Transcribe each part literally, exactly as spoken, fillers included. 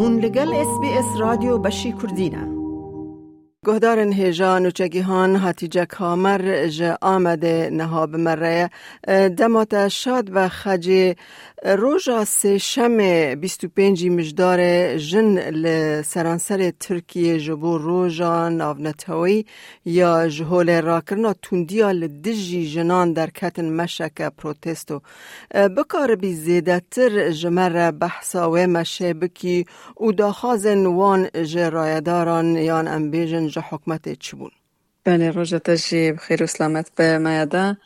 Hûn li gel S B S Radyo Beşî Kurdî ne. Guhdarên hêja nûçegîhan Hatîce Kamer ji Amedê niha bi me re ye. Dema te şad be Xecê. Roja Sêşemê bîst û pêncî Mijdarê jin li seranserê Tirkiyê ji bo Roja Navneteweyî ya ji holê rakirina tundiya li dijî jinan derketin meşeke protesto. Bikaribî zêdetir ji me re behsa wê meşê bikî û daxwazên wan ji rayedaran yan em bêjin ji hikûmetê çi bûn? Belê, roja te jî bi xêr û selamet be, Meyada.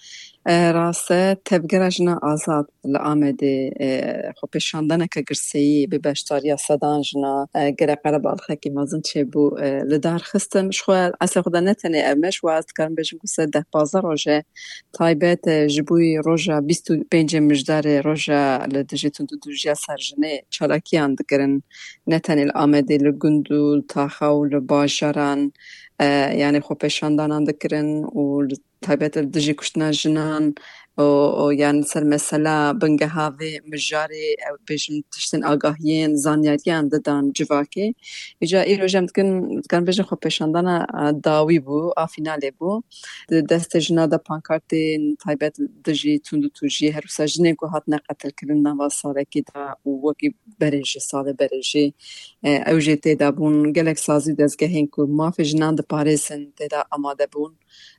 E, rast e, Tevgera Jina Azad li Amedê, e, xwepêşandaneke girseyî bi beşdariya sedan jina, e, gelek qerebalixekî mezin çêbû, e, li dar xistin. Ji xwe eslê xwe de ne tenê ev me, ji we ez dikarim bêjim ku ser deh pazdeh roj e taybet, e, ji bo roja bîst û pêncê Mijdarê, roja li dijî tundûtûjiya ser jinê çalakiyan dikirin, ne tenê li Amedê, li gund û li taxa û li bajaran, e, yanî xwepêşandanan dikirin û li taybet li dijî kuştina jinan û, û yanî ser mesela bingeha vê mijarê, ew bêjin tiştên agahiyên, zanyariyan didan civakê. Îca îro jî em dikin, dikarin bêjin xwepêşandana, e, dawî bû, a fînalê bû. Di destê jina de pankartên taybet dijî tundûtûjiyê, her wisa jinên ku hatine qetilkirin nava salekî de û wekî berê jî, salê berê jî, e, ew jî tê de bûn. Gelek sazî û dezgehên ku mafê jinan diparêzin tê de amade bûn.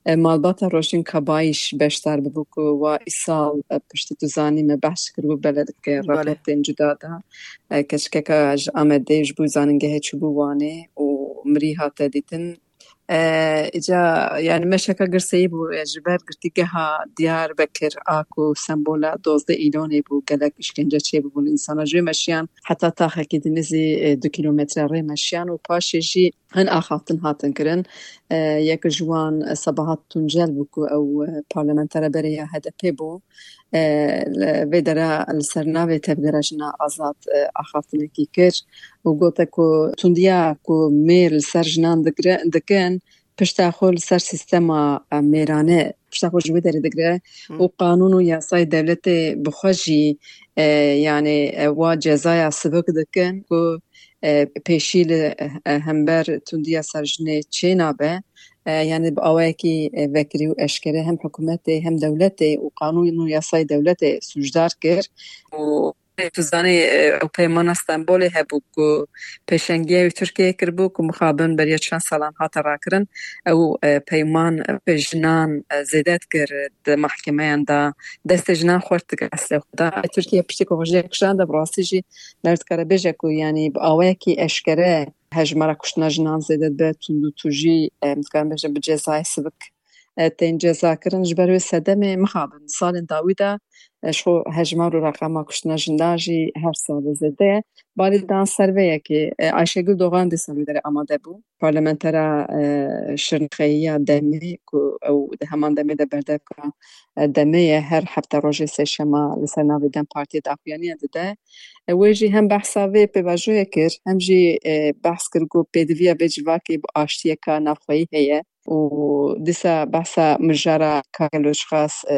E, malbata Roşîn Kabayîş beşdar bibû ku wa îsal, e, piştî tu zanî me behs kiribû belê dike. Belê. Raportên cuda de, e, keçikeka ji Amedê ji bo zanîngehê çûbû Wanê û mirî hate dîtin. E, îca, yani meşeka girseyî bû, e, ji ber girtîgeha Diyarbekir a ku sembola dozdeh Îlonê bû, gelek îşkence çêbûbûn însana. Ji wê meşiyan heta taxekî din nêzî, e, du kîlometre rê meşiyan û paşê jî hin axaftin hatin kirin. E, yek ji wan, e, Sebahat Tuncel bû ku ew, e, parlamentera berê ya H D P bû. E, li vê dera li ser navê Tevgera Jina Azad, e, axaftinekî kir û gote ku tundiya ku mêr li ser jinan digre-, dikin, pişta xwe li ser sîstema, e, mêrane, pişta xwe ji wê derê digre Hı. û qanûn û yasayê dewletê bi xwe jî, e, yanî, e, wa cezaya sivik dikin ku, e, pêşî li, e, hember tundiya ser jinê çênabe. E, yanî bi awayekî, e, vekirî û eşkere hem hikûmetê hem dewletê û qanûn û yasayê dewletê sûcdar kir û tu zanî, e, ew peymana Stenbolê hebû ku pêşengiya wî Tirkiye kiribû ku mixabin beriya çend salan hate rakirin. Ew, e, peyman, e, jinan, e, zêde dikir di mahkemeyan de, destê jinan xurt dikir eslê xwe de. Tirkiye piştî ku xwe ji yek kişan de bi rastî jî ler dikare bêje ku, yanî bi awayekî eşkere hejmara kuştina jinan zêde dibe, tundûtûjî, em dikarin bêjin bi cezayê sivik, e, tên cezakirin. Ji ber wê sedemê mixabin salên dawî de, e, ji xwe hejmar û reqema kuştina jinan jî her sal zêde ye. Balê dan ser vê yekê, e, Ayşegül Doğan dîsa li wê derê amade bû. Parlamentera, e, Şirnexeyî ya demê ku ew di heman demê de berdevka, e, demê ye, her hefte rojê sêşema li ser navê DEM Partiyê daxuyaniya dide. E, wê jî hem behsa vê pêvajoyê kir, hem jî, e, behs kir ku pêdiviya vê civakê bi aştiyeka navxweyî heye û dîsa behsa mijara Kageloçxas, e,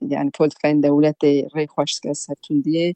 yani politikayên dewletê rê xweş dike ser tundiyê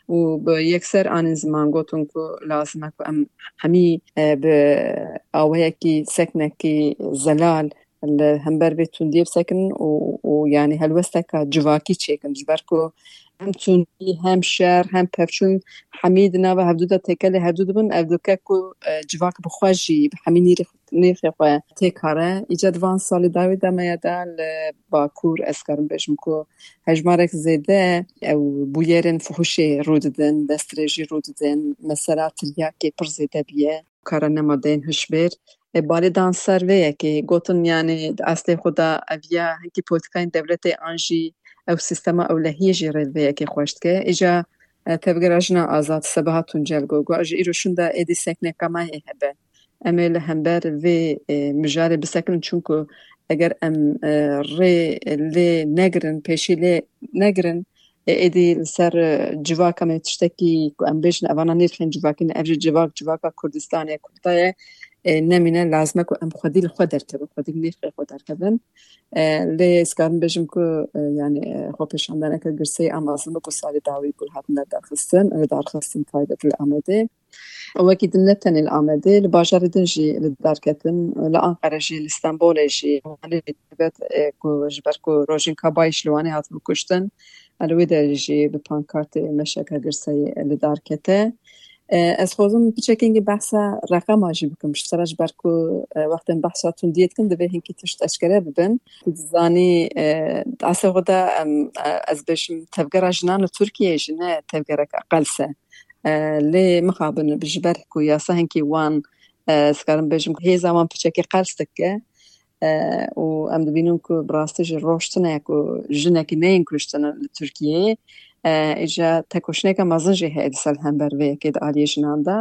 û bi yekser anîn ziman gotin ku lazim e ku em hemî, e, bi awayekî seknekî zelal li hember vê tundiyê bisekinin û, û yani helwesteka civakî çêkin, ji ber ku hem tundî, hem şer, hem pevçûn hemî di nava hevdû de têkelê hevdû dibin, ev dike ku, e, civak bi xwe jî bi hemî nîrê-, nirxê xwe têkare. Îca di van salê dawî de me ya de li Bakur, ez karim bêjim ku hejmarek zêde ew bûyerên fuhuşê rû didin, destdirêjî rû didin, mesela tiryakê pir zêde bûye. Kara nema deyên hişbêr. E, balê dan ser vê yekê, gotin, yani, di eslê xwe de ev ya hinkî polîtîkayên dewletê an jî ew sîstema ewlehiyê jî rê li vê yekê xweş dike. Îja, e, Tevgera Jina Azad Sebahat Tuncel got, got, ji îro şûnde êdî sekneka me hê hebe. Em ê li hember vê, e, mijarê bisekinin, çunku eger em, e, rê lê negirin, pêşî lê negirin, e, êdî li ser, e, civaka me tiştekî ku em bêjin, evana nirxên civakî ne, ev jî civak, civaka Kurdistanê, Kurda ye, e, nemîne, lazim e ku em xwedî li xwe derkevin, xwedî li nirxê xwe derkevin. E, lê ez karim bêjim ku, e, yani, e, xwepêşandaneke girseyî a mezin bû ku salê dawî bû hatine darxistin, e, darxistin taybet li Amedê. Wekî din ne tenê li Amedê, li bajarê din jî li dar ketin, li Anqere jî, li Stenbolê jî, Wanê jî taybet, e, ku ji ber ku Rojîn Kabayî ji li Wanê hat bikuştin, e, li wê derê jî bi pankartê meşeke girseyî li dar kete. E, ez xwazim piçekî behsa reqema jî bikim, ji te re, ji ber ku, e, wextên behsa tundiyê dikin, divê hinkî tişt eşkere bibin. Tu dizanî, e, di asê xwe de, em, e, ez bêjim, tevgera jinan li Tirkiyeyê jî ne tevgereke qels e. E, lê mixabin ji ber ku yasa hinkî wan, e, ez karim bêjim, hêza wan piçekî qels dike. E, û em dibînin ku bi rastî jî roj tune ye ku jinekî neyên kuştin li Tirkiyeyê. E, îca tekoşîneke mezin jî heye dîsa li hember vê yekê di aliyê jinan de.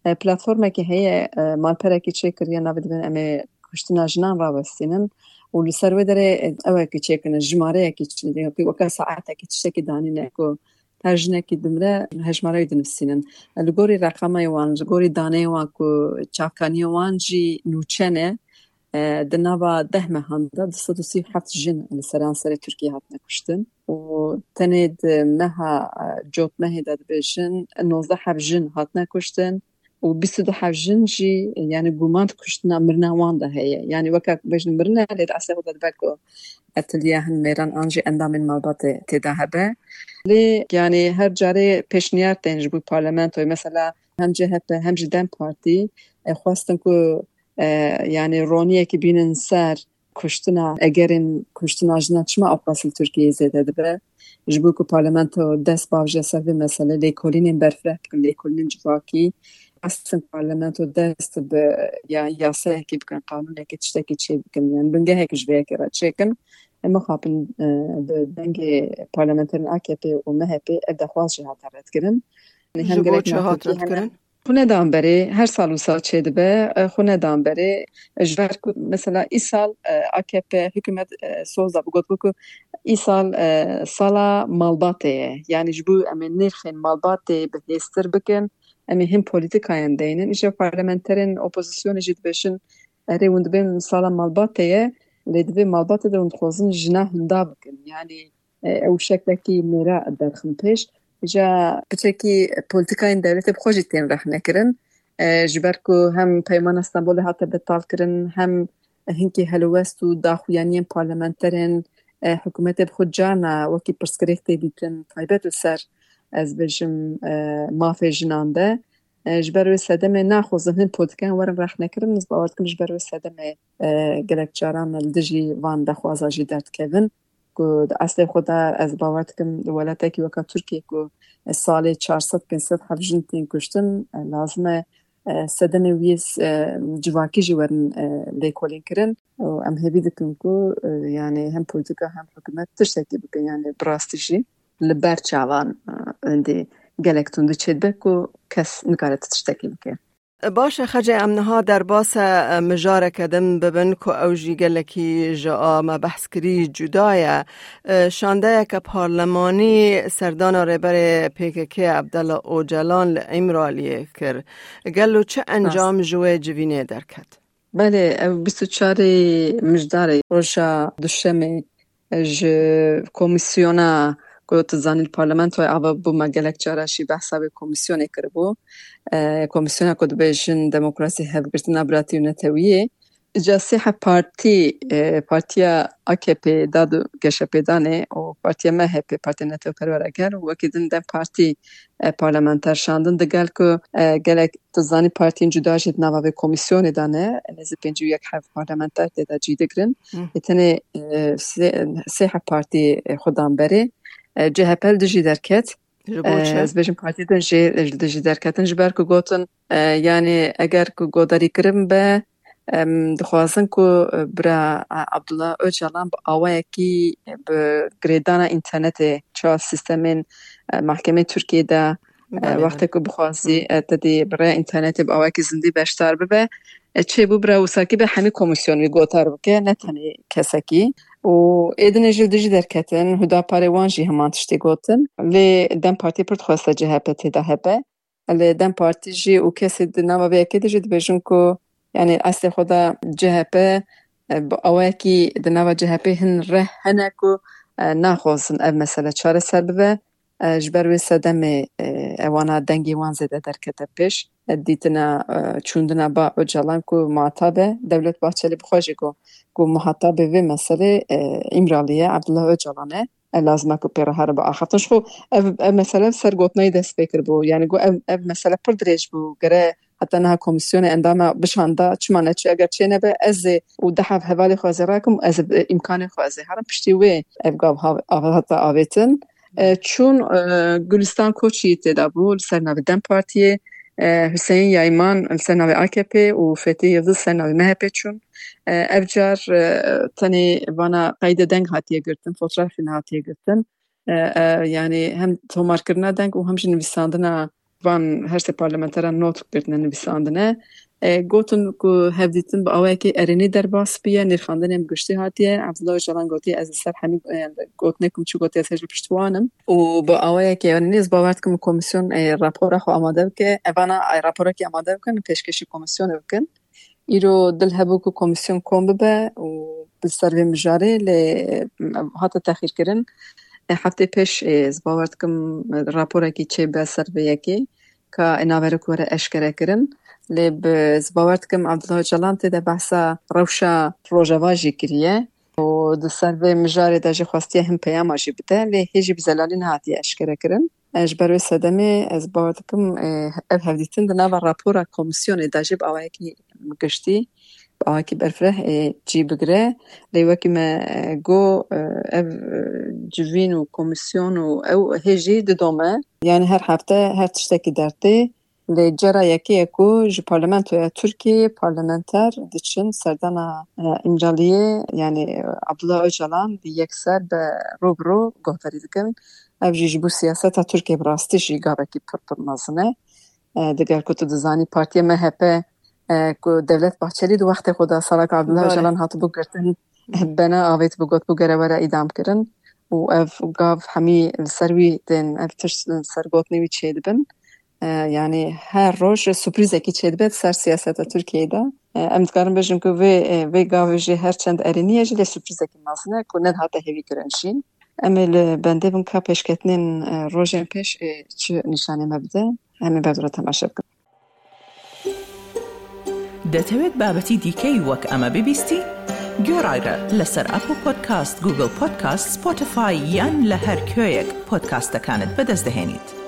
E, platformekî heye, e, malperekî çêkiriye, navê dibin em ê kuştina jinan rawestînin û li ser wê derê, e, ewekî çêkirin, jimareyekî çi-, weke saetekî tiştekî danîne ku her jinekî dimire, hejmara wî dinivîsînin. Li gorî reqemê wan, li gorî daneyê wan ku çavkaniyê wan jî nûçe ne, e, di nava deh mehan de du sed û sî û heft jin li seranserê Tirkiyê hatine kuştin û tenê di meha, e, cotmehê de dibêjin nozdeh heb jin hatine kuştin û bîst û du heb jin jî, yani, guman kuştina mirina wan de heye. Yani, weke bêjin mirine, lê di asê xwe de dibe ku etiliya hin mêran an jî endamên malbatê tê de hebe. Lê, yani, her carê pêşniyar tên ji bo parlamentoyê. Mesela hem C H P hem jî DEM Partî, e, xwestin ku, e, yani, roniyekî bînin ser kuştina, egerên kuştina jinan çima ewqas li Tirkiyeyê zêde dibe. Ji bo ku parlamento dest bavêje ser vê meselê, lêkolînên berfireh bikin, lêkolînên civakî, xwestin parlamento dest bi ya-, yasayekî bikin, qanûnekî, tiştekî çê bikin, yani bingehekî ji vê yekê re çêkin. Em mixabin, e, bi dengê parlamenterên A K P û M H P ev dexwaz jî hate redkirin. Yani hem Ji bo gerek çi hat natekî, hem redkirin? Xwe nedan berê, her sal wisa çêdibe, e, xwe nedan berê. Ji ber ku mesela îsal, e, A K P hikûmet, e, soz da, got ku îsal, e, sala malbatê ye. Yani ji bo em ê nirxên malbatê bihêztir bikin, em ê hin polîtikayan deynin. Îşte parlamenterên opozisyonê jî dibêjin, erê, hûn dibên sala malbatê ye, lê di vê malbatê de hûn dixwazin jina hinda bikin. Yani, e, ew şeklekî mêra derxin pêş. Îca piçekî polîtikayên dewletê bi xwe jî tên rexnekirin. E, ji ber ku hem Peymana Stenbolê hate betalkirin, hem hinkî helwest û daxuyaniyên parlamenterên, e, hikûmetê bi xwe carna wekî pirsgirêk tê dîtin, taybet li ser, ez bêjim, e, mafê jinan de. E, ji ber wê sedemê naxwazin hin polîtîkayên werin rexnekirin, ez bawer dikim ji ber wê sedemê, e, gelek caran li dijî van dexwaza jî derdikevin. Ku di eslê xwe de ez bawer dikim di welatekî weka Tirkiye ku salê çar sed pênc sed hevjin tên kuştin, e, lazim e, e, sedemê wî, e, civakî jî werin, e, lêkolîn kirin. Û em hêvî dikin ku, e, yani hem polîtîka hem hikûmet tiştekî bikin, yani bi rastî jî li ber çavan, e, êndî gelek tundî çêdibe ku kes nikare tiştekî bike. Baş e, Xecê, em niha derbasa, e, mijareke din bibin ku ew jî gelekî ji a me behs kirî cuda ye. E, şandeyeke parlemanî serdana rêberê P K K Abdullah Ocalan li Îmraliyê kir. Gelo çi encam ji wê civînê derket? Belê, ev bîst û çarê Mijdarê, roja Duşemê, ji komîsyona ku tu zanî li parlamentoyê ava bû, me gelek cara jî behsa vê komîsyonê kiribû. E, komîsyona ku dibêjin demokrasî, hevgirtina, biratî û netewiyê. Îca sê heb partî, e, partiya A K P da du geşepêdanê û partiya M H P, Partiya Netewperwer Gel û wekî din DEM Partî, e, parlamenter şandin. Digel ku, e, gelek, tu zanî, partiyên cuda jî di nava vê komîsyonê de ne, nêzî pêncî û yek heb parlamenter tê de cî digirin. Hı. Ê tenê, e, sê, sê heb partî, e, xwe dan berê. E, C H P li dijî derket. Ji bo çi? E, ez bêjim partî din jî, e, li dijî derketin, ji ber ku gotin, e, yani eger ku godarîkirin be, em dixwazin ku, e, bira, e, Abdullah Ocalan bi awayekî, e, bi girêdana înternetê, çawa sîstemên, e, mahkemê Tirkiyê de, e, Belê, wextê belê. Ku bixwazî, Hı. E, te dî bi rê înternetê bi awayekî zindî beşdar bibe, e, çêbû bira wisakî be hemî komîsyon wî gotar bike, ne tenê kesekî. Û êdinê jî li dijî derketin, Hudaparê wan jî heman tiştê gotin. Lê DEM Partî pir dixweste C H P tê de hebe. Lê DEM Partî jî û kesê di nava vê yekê de jî dibêjin ku, yani, eslê xwe de C H P, e, bi awayekî di nava C H P hin reh hene ku, e, naxwazin ev mesele çareser bibe. E, ji ber wê sedemê, e, ewana dengê wan zêde derkete pêş. E, dîtina, e, çûndina ba Ocalan ku muhatab e, Dewlet Bahçelî bi xwe jî got ku muhatabê vê meselê, e, Îmralî ye, Abdullah Ocalan e. E, lazim e ku pê re here biaxiftin. Ji xwe ev, ev mesele ser gotinayî dest pê kiribû. Yani got ev, ev mesele pir dirêj bû. Gere heta niha komîsyonê endama bişanda, çima neçû? Eger çê nebe, ez ê û deh hev hevalê xwe ez ê rakim, ez ê, e, îmkanê xwe ez ê herim. Piştî wê ev gav hav-, av-, hate avêtin. E, çûn, e, Gulistan Koçî tê de bû, li ser navê DEM Partiyê, e, Hüseyin Yayman li ser navê A K P û Fethi Yildiz li ser navê M H P çûn. E, ev car, e, tenê vana qeyde deng hatiye girtin, fotoğrafî hatiye girtin. E, e, yani hem tomarkirina deng û hem jî nivîsandina van her sê parlamenteran not girtine, nivîsandine. E, gotin ku hevdîtin bi awayekî erênî derbas bûye, nirxandinên bi giştî hatiye. Abdullah Ocalan gotiye, ez li ser hemî, e, gotinê ku min çû gotiye, ez hêj li pişt wan im. Û bi awayekî erênî ez bawer dikim komîsyon, e, rapora xwe amade bike. Evana, e, raporekî amade bikin, pêşkêşî komîsyonê bikin. Îro dil hebû ku komîsyon kom bibe û bi ser vê mijarê, lê, e, hate texîrkirin. E, heftê pêş, e, ez bawer dikim, e, raporekî çêbe ser vê yekê, ka, e, navera ku were eşkere kirin. Lê bi, ez bawer dikim Abdullah Ocalan tê de behsa rewşa Rojava jî kiriye û di ser vê mijarê de jî xwestiye hin peyama jî bide, lê hê jî bi zelalî nehatiye eşkere kirin. E, ji ber wê sedemê ez bawer dikim, e, ev hevdîtin di nava rapora komîsyonê de jî bi awayekî giştî, bi awayekî berfireh, e, cî bigire. Lê wekî me, e, got, e, ev, e, civîn û komîsyon û ew hê jî didome. Yani her hefte her tiştekî dertê. Lê cara yekê ye ku ji parlamentoya Tirkiyeyê parlamenter diçin serdana, e, Îmraliyê, yani, e, Abdullah Ocalan bi yekser bi ro bi ro guhdarî dikin. Ev jî ji bo siyaseta Tirkiyê bi rastî jî gavekî pir pir mezin e. E, diger ku tu dizanî partiya M H P, e, ku Devlet Bahçelî di wextê xwe de salak Abdullah Belê. Ocalan hatibû girtin, bena avêt bi got bû gere were îdam kirin û ev gav hemî li ser wî tên, ev tişt li ser gotinê wî çêdibin. E, yani her roj sürprizekî çêdibe di ser siyaseta Tirkiyeyê de. E, em dikarin bêjin ku vê, e, vê gavê jî her çend erênî ye jî lê sürprizekî mezin e ku nedihate hêvîkirin jî. Em ê li bendê bin ka pêşketinên, e, rojên pêş, e, çi nîşanê me bide. Em ê ber dû re temaşe bikin. دەتەوێت بابەتی دیکەی وەک ئەمە ببیستی؟ گوێڕایرە لەسەر ئەپڵ پۆدکاست، گوگڵ پۆدکاست، سپۆتیفای یان لە هەر کوێیەک پۆدکاستەکانت بەدەست دەهێنیت.